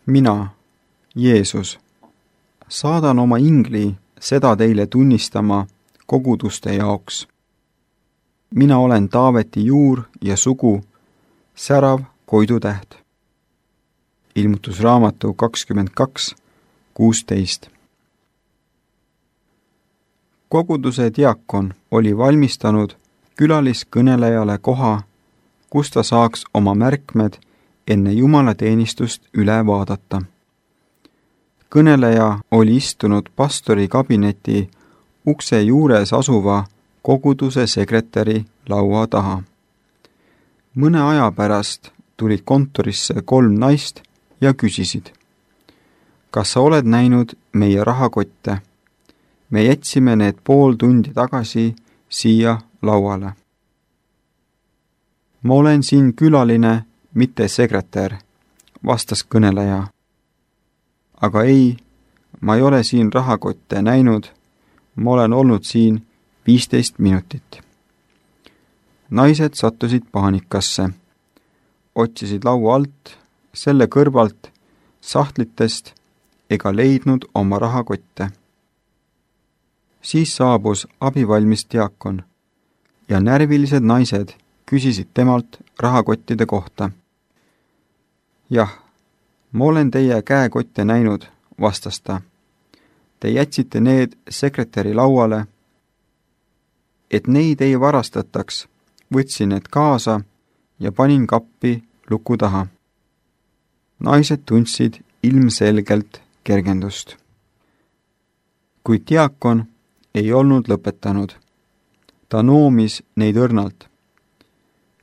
Mina, Jeesus, saadan oma ingli seda teile tunnistama koguduste jaoks. Mina olen Taaveti juur ja sugu, särav koidutäht. Ilmutusraamatu 22:16. Koguduse diakon oli valmistanud külaliskõnelejale koha, kus ta saaks oma märkmed enne jumalateenistust üle vaadata. Kõneleja oli istunud pastori kabineti ukse juures asuva koguduse sekretäri laua taha. Mõne aja pärast tulid kontorisse 3 naist ja küsisid: kas sa oled näinud meie rahakotte? Me jätsime need pool tundi tagasi siia lauale. Ma olen siin külaline, mitte sekretär, vastas kõneleja. Aga ei, ma ei ole siin rahakotte näinud, ma olen olnud siin 15 minutit. Naised sattusid paanikasse, otsisid laua alt, selle kõrvalt, sahtlitest ega leidnud oma rahakotte. Siis saabus abivalmis diakon ja närvilised naised küsisid temalt rahakottide kohta. Jah, ma olen teie käekotte näinud, vastas ta. Te jätsite need sekretäri lauale. Et neid ei varastataks, võtsin need kaasa ja panin kappi luku taha. Naised tundsid ilmselgelt kergendust. Kuid diakon ei olnud lõpetanud. Ta noomis neid õrnalt.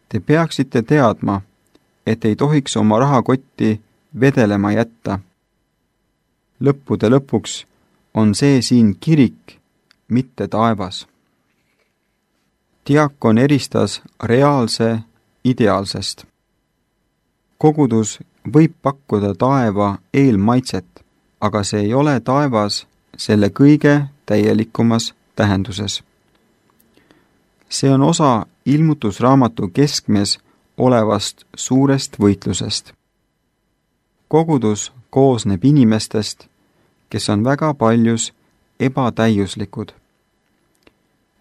Te peaksite teadma, et ei tohiks oma rahakotti vedelema jätta. Lõppude lõpuks on see siin kirik, mitte taevas. Diakon eristas reaalse ideaalsest. Kogudus võib pakkuda taeva eelmaitset, aga see ei ole taevas selle kõige täielikumas tähenduses. See on osa ilmutusraamatu keskmes olevast suurest võitlusest. Kogudus koosneb inimestest, kes on väga paljus ebatäiuslikud.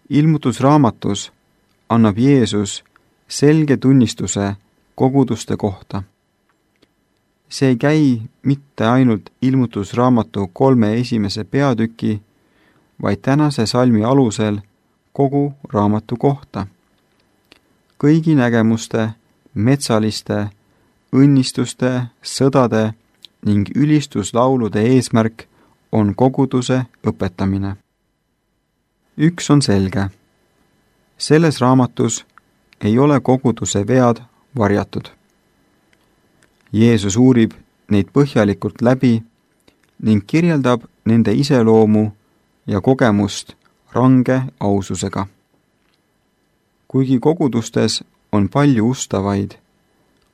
Ilmutusraamatus annab Jeesus selge tunnistuse koguduste kohta. See ei käi mitte ainult ilmutusraamatu 3 esimese peatüki, vaid tänase salmi alusel kogu raamatu kohta. Kõigi nägemuste, metsaliste, õnnistuste, sõdade ning ülistuslaulude eesmärk on koguduse õpetamine. Üks on selge. Selles raamatus ei ole koguduse vead varjatud. Jeesus uurib neid põhjalikult läbi ning kirjeldab nende iseloomu ja kogemust range aususega. Kuigi kogudustes on palju ustavaid,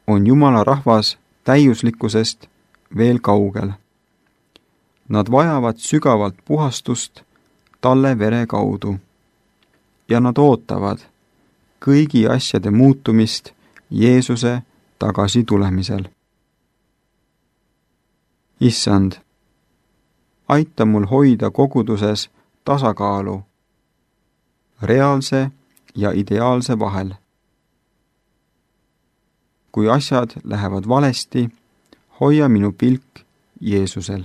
on Jumala rahvas täiuslikkusest veel kaugel. Nad vajavad sügavalt puhastust talle vere kaudu ja nad ootavad kõigi asjade muutumist Jeesuse tagasitulemisel. Issand, aita mul hoida koguduses tasakaalu reaalse ja ideaalse vahel. Kui asjad lähevad valesti, hoia minu pilk Jeesusel.